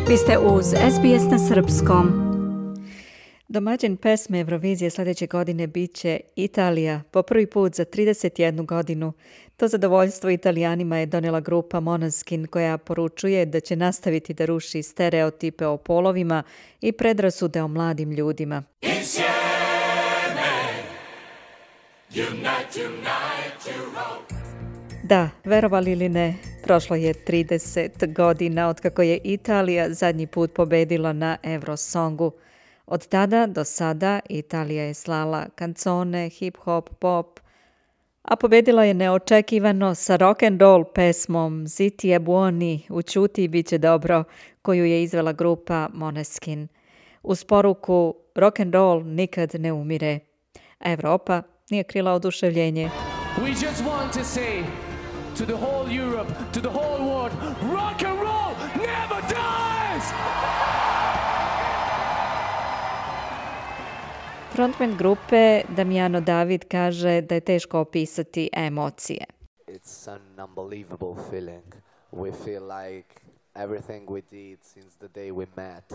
Vi ste uz SBS na srpskom. Domaćin pesme Eurovizije sljedeće godine bit će Italija po prvi put za 31 godinu. To zadovoljstvo Italijanima je donijela grupa Måneskin koja poručuje da će nastaviti da ruši stereotipe o polovima i predrasude o mladim ljudima. Da, verovali ili ne, prošlo je 30 godina otkako je Italija zadnji put pobedila na Eurosongu. Od tada do sada Italija je slala kancone, hip-hop, pop, a pobedila je neočekivano sa rock and roll pesmom Zitti e buoni, učuti bit će dobro, koju je izvela grupa Måneskin. Uz poruku rock and roll nikad ne umire. Evropa nije krila oduševljenje. We just want to say to the whole Europe, to the whole world, rock and roll never dies! Frontman grupe Damiano David kaže da je teško opisati emocije. It's an unbelievable feeling. We feel like everything we did since the day we met.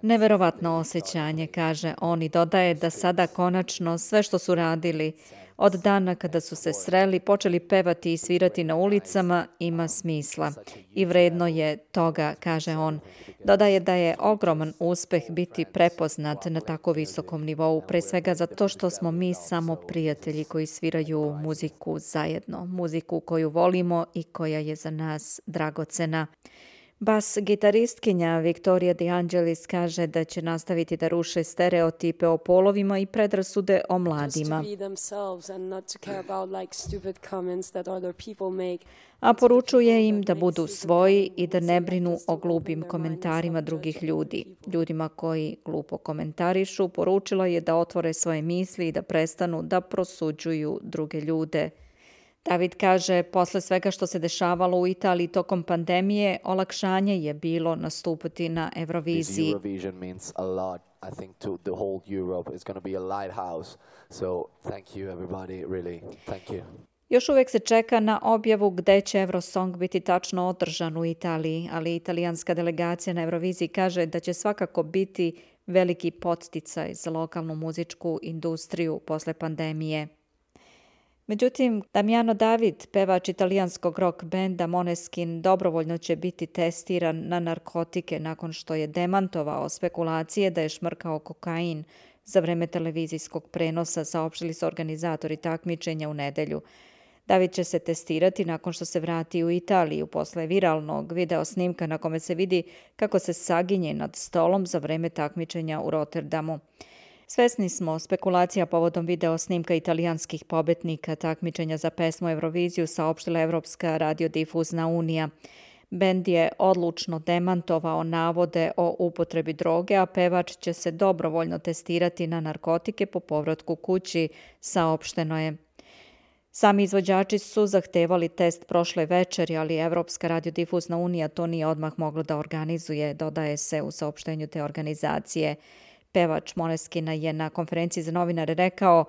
Neverovatno osjećanje, kaže on i dodaje da sada konačno sve što su radili od dana kada su se sreli, počeli pevati i svirati na ulicama, ima smisla. I vredno je toga, kaže on. Dodaje da je ogroman uspeh biti prepoznat na tako visokom nivou, pre svega zato što smo mi samo prijatelji koji sviraju muziku zajedno, muziku koju volimo i koja je za nas dragocena. Bas gitaristkinja Victoria De Angelis kaže da će nastaviti da ruše stereotipe o polovima i predrasude o mladima. A poručuje im da budu svoji i da ne brinu o glupim komentarima drugih ljudi. Ljudima koji glupo komentarišu poručila je da otvore svoje misli i da prestanu da prosuđuju druge ljude. David kaže, posle svega što se dešavalo u Italiji tokom pandemije, olakšanje je bilo nastupiti na Euroviziji. Eurovision means a lot, I think, to the whole Europe. It's going to be a lighthouse. So thank you everybody, really. Thank you. Još uvijek se čeka na objavu gde će Eurosong biti tačno održan u Italiji, ali italijanska delegacija na Euroviziji kaže da će svakako biti veliki podsticaj za lokalnu muzičku industriju posle pandemije. Međutim, Damiano David, pevač italijanskog rock benda Måneskin, dobrovoljno će biti testiran na narkotike nakon što je demantovao spekulacije da je šmrkao kokain za vreme televizijskog prenosa, saopštili su organizatori takmičenja u nedelju. David će se testirati nakon što se vrati u Italiju posle viralnog video snimka na kome se vidi kako se saginje nad stolom za vreme takmičenja u Rotterdamu. Svesni smo spekulacija povodom video snimka italijanskih pobednika takmičenja za pesmu Euroviziju, saopštila Evropska radiodifuzna unija. Bend je odlučno demantovao navode o upotrebi droge, a pevač će se dobrovoljno testirati na narkotike po povratku kući, saopšteno je. Sami izvođači su zahtevali test prošle večeri, ali Evropska radiodifuzna unija to nije odmah mogla da organizuje, dodaje se u saopštenju te organizacije. Pevač Måneskina je na konferenciji za novinare rekao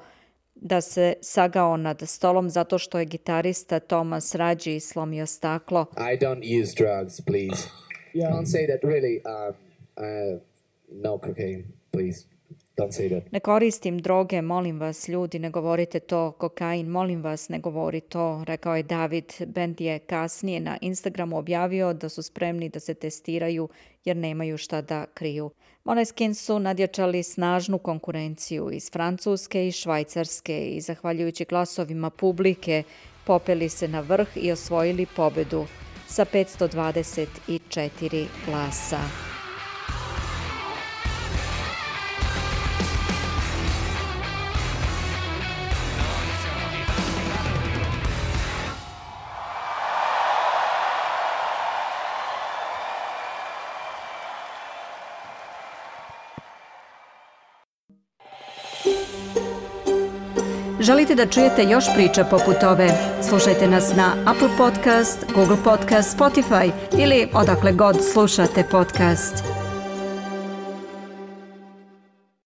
da se sagao nad stolom zato što je gitarista Thomas Raggi slomio staklo. I don't use drugs, please. Don't say that really. No cocaine, please. Don't say that. Ne koristim droge, molim vas ljudi, ne govorite to. Kokain, molim vas, ne govori to, rekao je David. Bend je kasnije na Instagramu objavio da su spremni da se testiraju jer nemaju šta da kriju. Måneskin su nadjačali snažnu konkurenciju iz Francuske i Švajcarske i zahvaljujući glasovima publike popeli se na vrh i osvojili pobedu sa 524 glasa. Želite da čujete još priča poput ove? Slušajte nas na Apple Podcast, Google Podcast, Spotify ili odakle god slušate podcast.